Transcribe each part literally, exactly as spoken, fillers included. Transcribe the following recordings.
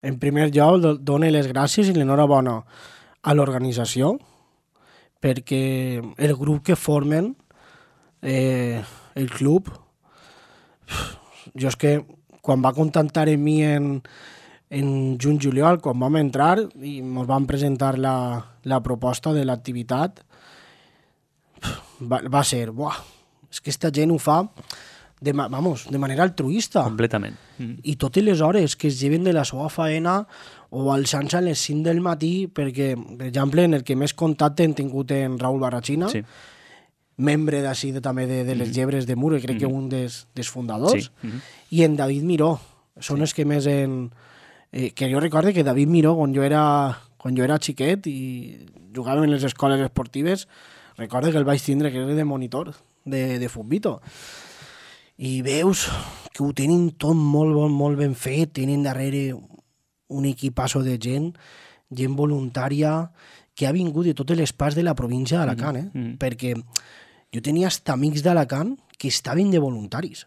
En primer lloc, dono les gràcies i l'enhorabona a l'organització perquè el grup que formen, eh, el club, jo és que quan va contactar amb mi en, en juny-juliol, quan vam entrar i ens van presentar la, la proposta de l'activitat, va, va ser, buah, és que esta gent ho fa de, vamos, de manera altruista. Completament. Mm. I totes les hores que es lleven de la seva faena o alçant-se a les cinc del matí, perquè, per exemple, en el que més contacte hem tingut en Raül Barrachina, Sí. membre d'ací de, també de, de les llebres de Muro, crec Mm. que un dels, dels fundadors, Sí. Mm. i en David Miró, són els que més en... Eh, que jo recorde que David Miró, quan jo era, quan jo era xiquet i jugàvem en les escoles esportives, recorde que el vaig tindre, que era de monitor, de, de futbito. I veus que ho tenen tot molt, molt, molt ben fet, tenen darrere un equipasso de gent, gent voluntària, que ha vingut de totes les parts de la província d'Alacant, eh? Mm. Perquè jo tenia hasta amics d'Alacant que estaven de voluntaris.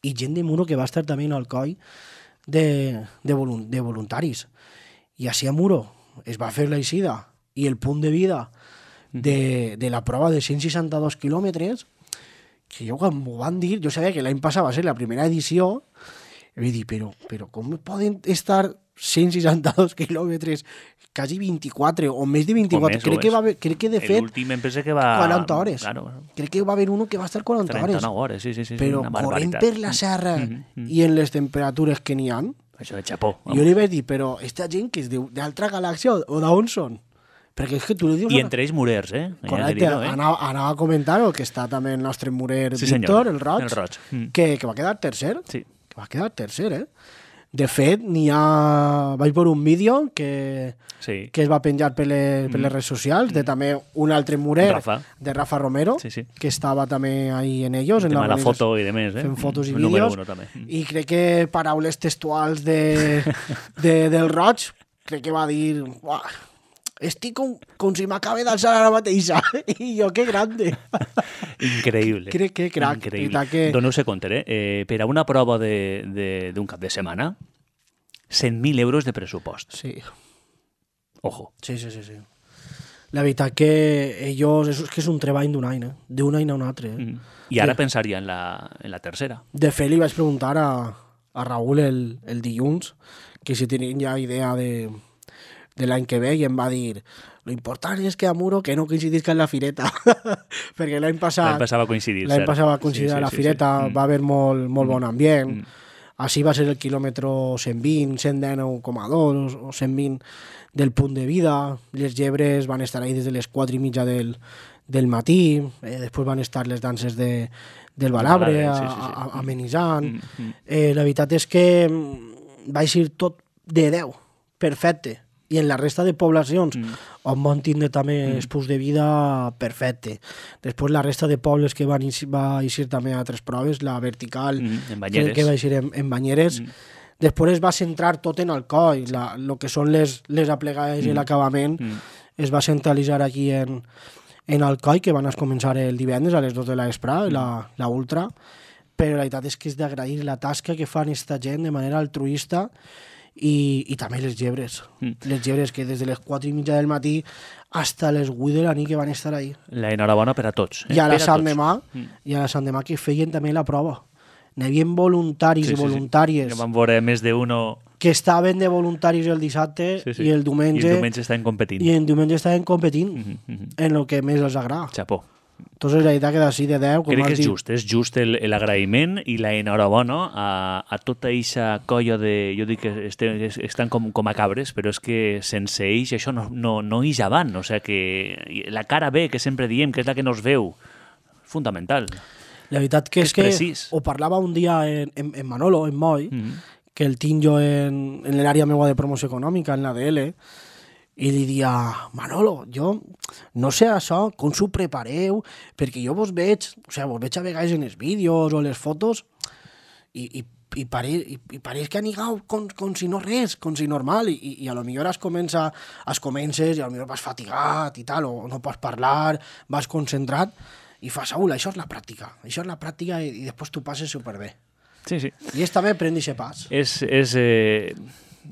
I gent de Muro que va estar també en el coll de, de, volun de voluntaris. I així a Muro es va fer la eixida i el punt de vida de, de la prova de cent seixanta-dos quilòmetres, que jo quan m'ho van dir, jo sabia que l'any passat va ser la primera edició, i vaig dir, però, però com poden estar cent seixanta-dos quilòmetres, quasi vint-i-quatre, o més de vint-i-quatre, més, crec o que, és. va haver, crec que de fet L'últim em pensa que va... quaranta hores. Claro, Crec que va haver uno que va estar quaranta hores. trenta-nou hores, sí, sí, sí. Però una corrent barbaritat. per la serra Mm, mm. i en les temperatures que n'hi ha, Això de xapó. jo li vaig dir, però esta gent que és d'altra galàxia o d'on són? Perquè és que tu li dius... I entre ells Murers, eh? Hi ha que Correcte, dir-ho, eh? anava, anava a comentar-ho, que està també el nostre murer Sí, Víctor, senyor. el Roig, El Roig. Mm. que, que va quedar tercer. Sí. Que va quedar tercer, eh? De fet, n'hi ha... Vaig veure un vídeo que, Sí. que es va penjar per les, per les redes socials de també un altre murer, Rafa. de Rafa Romero, Sí, sí. que estava també ahí en ellos. El en tema de la organització, foto i de més, eh? fent fotos i El número vídeos. uno, també. I crec que paraules textuals de, de, del Roig, crec que va dir... Uah, estic com, com si m'acabe d'alçar ara mateixa. I jo, que grande. Increïble. Crec que crac. Increïble. Veritat que- Doneu-se compte, eh? eh? Per a una prova d'un de, de, d'un cap de setmana, cent mil euros de pressupost. Sí, Ojo. sí, sí, sí. sí. La veritat que ells... És, que és un treball d'un any, eh? D'un any a un altre. Eh? Mm. I ara Sí. pensaria en la, en la tercera. De fet, li vaig preguntar a, a Raül el, el dilluns que si tenien ja idea de, de l'any que ve i em va dir lo important és que a Muro que no coincidisca en la fireta perquè l'any passat L'any passat va coincidir, l'any cert. passat va coincidir Sí, a sí, la sí, fireta, sí. Mm. va haver molt, molt bon ambient. Mm. Així va ser el quilòmetre cent vint, cent dinou coma dos o cent vint del punt de vida. Les llebres van estar ahí des de les quatre i mitja del, del matí, eh, després van estar les danses de, del Balabre, Balabre, sí, sí, sí. a, a, amenitzant. Mm, mm. Eh, la veritat és que mm, va ser tot de deu, perfecte. I en la resta de poblacions Mm. on van tindre també mm. espús de vida perfecte. Després la resta de pobles que van eixir, va eixir també a altres proves, la vertical, Mm, en que, Banyeres. que va eixir en, en Banyeres, Mm. després es va centrar tot en el coll, la, lo que són les, les aplegades i Mm. l'acabament Mm. es va centralitzar aquí en, en el coll, que van a començar el divendres a les dos de la vesprà, Mm. la, la ultra, però la veritat és que és d'agrair la tasca que fan esta gent de manera altruista i, i també les llebres. Mm. Les llebres que des de les quatre i mitja del matí hasta les vuit de la nit que van estar ahí. La enhorabona per a tots. Eh? I a la Per Sant tots. Demà, Mm. i a la Sant Demà que feien també la prova. N'hi havia voluntaris Sí, i sí, sí. voluntàries Que van veure més d'uno... que estaven de voluntaris el dissabte Sí, sí. i el diumenge I el diumenge estaven competint. i el diumenge estaven competint Mhm, mhm. en el que més els agrada. Xapó. Entonces la veritat que d'ací de deu, com Crec que has és dit, just, és just el- l'agraïment i la enhorabona a, a tota aquesta colla de... Jo dic que este, es- estan com, com a cabres, però és que sense ells això no, no, no ix avant. O sigui que la cara B, que sempre diem, que és la que nos veu, fundamental. la veritat que és, és que precís. ho parlava un dia en, en, en Manolo, en Moi, Mm. que el tinc jo en, en l'àrea meua de promoció econòmica, en l'A D L, i li dia, Manolo, jo no sé això, com s'ho prepareu, perquè jo vos veig, o sigui, vos veig a vegades en els vídeos o les fotos, i, i, i, pare, i, i pareix que anigau com, com si no res, com si normal, i, i a lo millor es comença, es comences i a lo millor vas fatigat i tal, o no pots parlar, vas concentrat, i fas, Saúl, això és la pràctica, això és la pràctica i, i després tu passes superbé. Sí, sí. I és també prendre aquest pas. És, és, eh,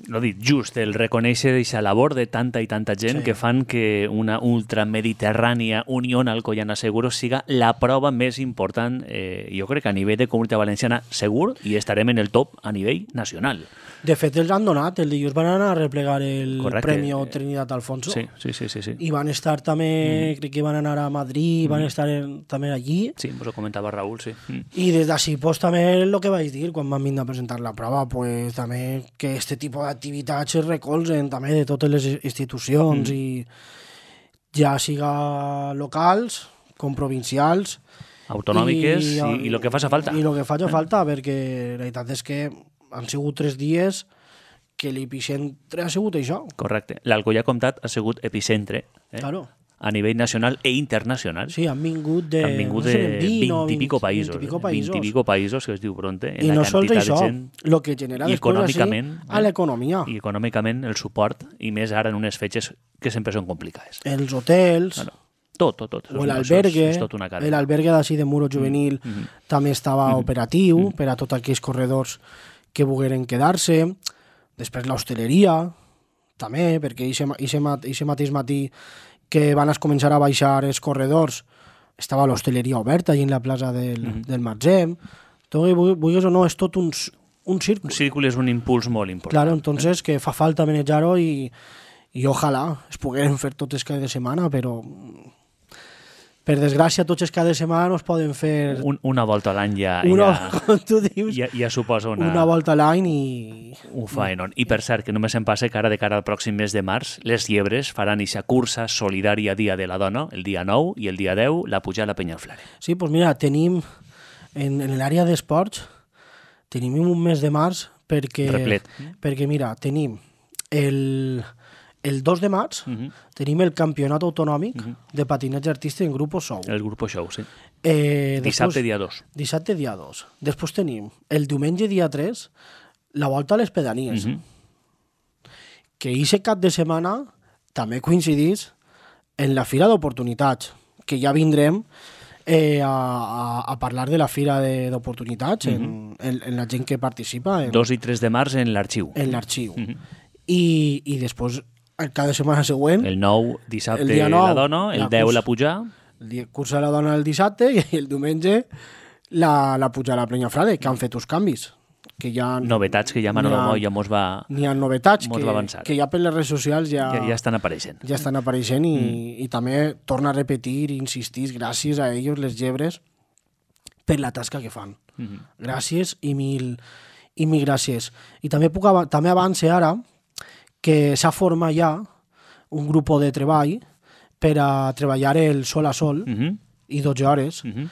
no dit, just el reconèixer aquesta labor de tanta i tanta gent Sí. que fan que una ultramediterrània Unión Alcoyana Seguros siga la prova més important, eh, jo crec que a nivell de Comunitat Valenciana segur, i estarem en el top a nivell nacional. De fet, els han donat. El dilluns van anar a replegar el Correcte. Premi Trinidad Alfonso. Sí, sí, sí. sí, sí. I van estar també, mm. crec que van anar a Madrid, mm. van estar en, també allí. Sí, ens ho comentava Raül, sí. Mm. I des d'ací, pues, també el que vaig dir quan van vindre a presentar la prova, pues, també que este tipus d'activitats es recolzen també de totes les institucions, mm. i ja siga locals com provincials, autonòmiques i, i, i el que faci falta. I el que faci falta, perquè la veritat és que han sigut tres dies que l'epicentre ha sigut això. Correcte. L'Alcoyà Comtat ha sigut epicentre, eh? Claro. A nivell nacional e internacional. Sí, han vingut de, han vingut no sé, de vint, vint i pico països. vint i pico països. vint i pico països, que es diu pronte. En I la no sols quantitat això, de gent, el que genera i després econòmicament, així, a l'economia. I econòmicament el suport, i més ara en unes fetges que sempre són complicades. Els hotels, Claro. Tot, tot, tot. o l'albergue, És tot una cadena. l'albergue d'ací de Muro Juvenil Mm, mm. també estava Mm. operatiu Mm. per a tots aquells corredors que volgueren quedar-se. Després l'hostaleria, també, perquè aquest mateix matí que van a començar a baixar els corredors estava l'hostaleria oberta allà en la plaça del, Mm. del Matzem. Tot, vulguis o no, és tot un, un círcul. Un círculo és un impuls molt important. Claro, entonces que fa falta manejar-ho i, i ojalà es pogueren fer totes cada de setmana, però per desgràcia tots els cada setmana no es poden fer Un, una volta a l'any ja, una, ja, com tu dius, ja, ja suposa una, una volta a l'any i... un faenon. I per cert, que només em passa que ara de cara al pròxim mes de març, les Llebres faran eixa cursa solidària Dia de la Dona, el dia nou i el dia deu, la pujada a Penyaflare. Sí, doncs mira, tenim en, en l'àrea d'esports tenim un mes de març perquè, Replet. perquè mira, tenim el, el dos de març Uh -huh. tenim el campionat autonòmic Uh -huh. de patinatge artístic en grup Sou. El grup Show, sí. Eh, Dissabte, després- dia dos. Dissabte, dia dos. Després tenim el diumenge, dia tres, la volta a les pedanies. Uh -huh. Que aquest cap de setmana també coincidís en la Fira d'Oportunitats, que ja vindrem eh, a, a, a parlar de la Fira de- d'Oportunitats, uh -huh. en, en, en la gent que participa en, dos i tres de març en l'arxiu. en l'arxiu. Uh -huh. I, I després, el cada setmana següent, el, El nou, dissabte, El dia nou, la dona, el la deu, cursa. la pujar. dia cursa la dona el dissabte i el diumenge la, la puja a la Penyafrare, que han fet uns canvis. Que ja Novetats que ja Manolo n'hi ha- Moll ja mos va, N'hi ha novetats Mos que, va avançar. que ja per les redes socials ja, ja, ja estan apareixent. ja estan apareixent i, mm. i també torna a repetir i insistir gràcies a ells, les llebres, per la tasca que fan. Uh -huh. Gràcies i mil, i mil gràcies. I també puc av també avance ara que s'ha format ja un grup de treball per a treballar el sol a sol Uh -huh. i dotze hores Uh -huh.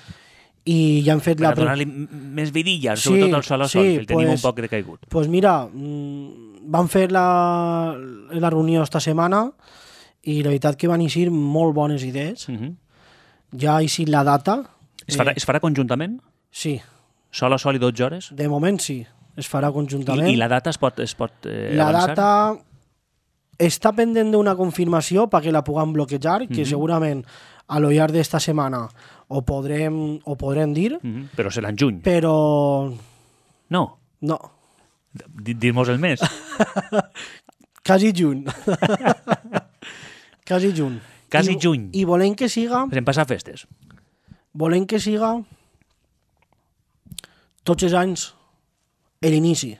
i ja han fet Per la... a donar-li m- més vidilla, Sí, sobretot al sol a sol, sí, que el tenim pues- un poc decaigut. Pues mira, mm, van fer la, la reunió esta setmana i la veritat que van eixir molt bones idees. Uh -huh. Ja ha eixit la data. Es farà, Eh, es farà conjuntament? sí, Sol a sol i dotze hores? de moment sí, es farà conjuntament. I, i la data es pot, es pot eh, la avançar? data està pendent d'una confirmació perquè la puguem bloquejar, que Mhm. segurament a lo llarg d'esta setmana ho podrem, ho podrem dir, Uh -huh. Però serà en juny. però No. no, Di- Dir-mos el mes. quasi juny. quasi juny. Quasi I, juny. I volem que siga, Ens hem passat festes. volem que siga tots els anys l'inici.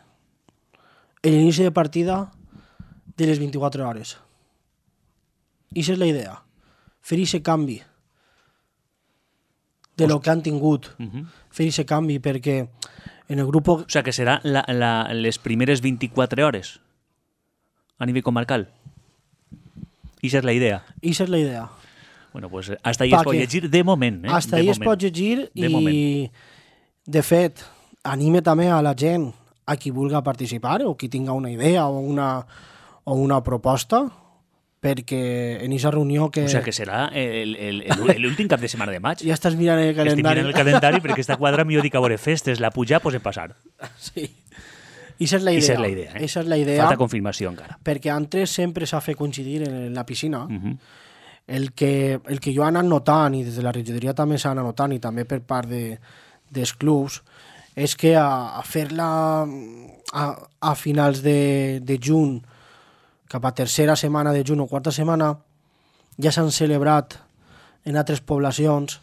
L'inici de partida de les vint-i-quatre hores. I aquesta és la idea. Fer aquest canvi de lo que han tingut. Uh -huh. Fer aquest canvi perquè en el grup... O sigui que serà la, la, les primeres vint-i-quatre hores a nivell comarcal. I és la idea. I aquesta és la idea. Bueno, pues hasta ahí Pa es pot que- llegir de moment. Eh? Hasta de ahí es moment. pot llegir De i, moment. de fet, anime també a la gent, a qui vulga participar o qui tinga una idea o una, o una proposta, perquè en aquesta reunió que... O sigui que serà el- el- el- l'últim cap de setmana de maig. Ja estàs mirant el Estic calendari. mirant el calendari perquè està quadra millor dic a veure festes, la pujar, pues en passar. Sí. I aquesta és la idea. Eixa és la idea. Eh? Eixa és la idea, Falta confirmació encara. perquè antes sempre s'ha fet coincidir en la piscina. Uh -huh. El que, el que jo he anat notant, i des de la regidoria també s'ha anat notant, i també per part de, dels clubs, és que a, a fer-la a, a finals de, de juny, cap a tercera setmana de juny o quarta setmana, ja s'han celebrat en altres poblacions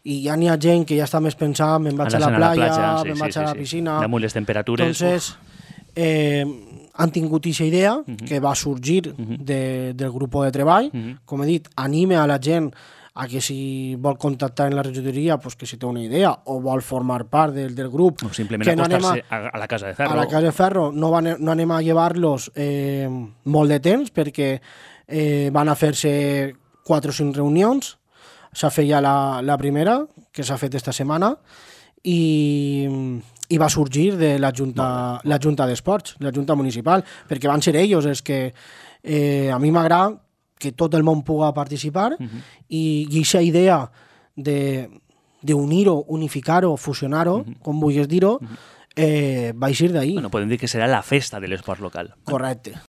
i ja n'hi ha gent que ja està més pensant, me'n vaig a la playa, a la platja, sí, me'n sí, vaig sí, a la sí. piscina. Damunt les temperatures. Entonces, eh, han tingut aquesta idea Uh-huh. que va sorgir Uh-huh. de, del grup de treball. Uh-huh. Com he dit, anime a la gent a que si vol contactar en la regidoria, pues que si té una idea o vol formar part del, del grup, O simplement que no anem acostar-se a, a la casa de ferro. a la casa de ferro, no, van, no anem a llevar-los eh, molt de temps perquè eh, van a fer-se quatre o cinc reunions. S'ha fet ja la, la primera, que s'ha fet esta setmana, i, i va sorgir de la Junta, la Junta d'Esports, la Junta Municipal, perquè van ser ells els que eh, a mi m'agrada que tot el món puga participar uh-huh. i aquesta idea de d'unir-ho, unificar-ho, fusionar-ho, uh-huh. com vulguis dir-ho, uh-huh. eh, va eixir d'ahir. Bueno, podem dir que serà la festa de l'esport local. Correcte.